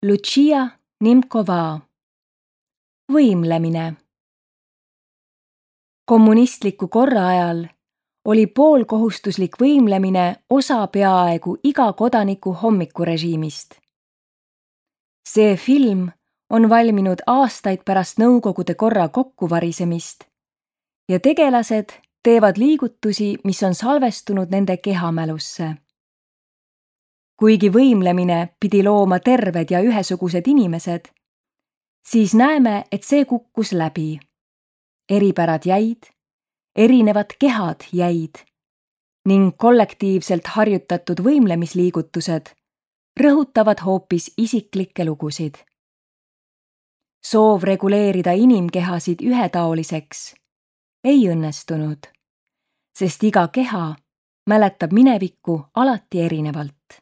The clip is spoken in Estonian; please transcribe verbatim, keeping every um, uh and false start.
Lucia Nimkova. Võimlemine. Kommunistliku korra ajal oli poolkohustuslik võimlemine osa peaaegu iga kodaniku hommikurežiimist. See film on valminud aastaid pärast Nõukogude korra kokkuvarisemist ja tegelased teevad liigutusi, mis on salvestunud nende kehamälusse. Kuigi võimlemine pidi looma terved ja ühesugused inimesed, siis näeme, et see kukkus läbi. Eripärad jäid, erinevad kehad jäid ning kollektiivselt harjutatud võimlemisliigutused rõhutavad hoopis isiklikke lugusid. Soov reguleerida inimkehasid ühetaoliseks ei õnnestunud, sest iga keha mäletab minevikku alati erinevalt.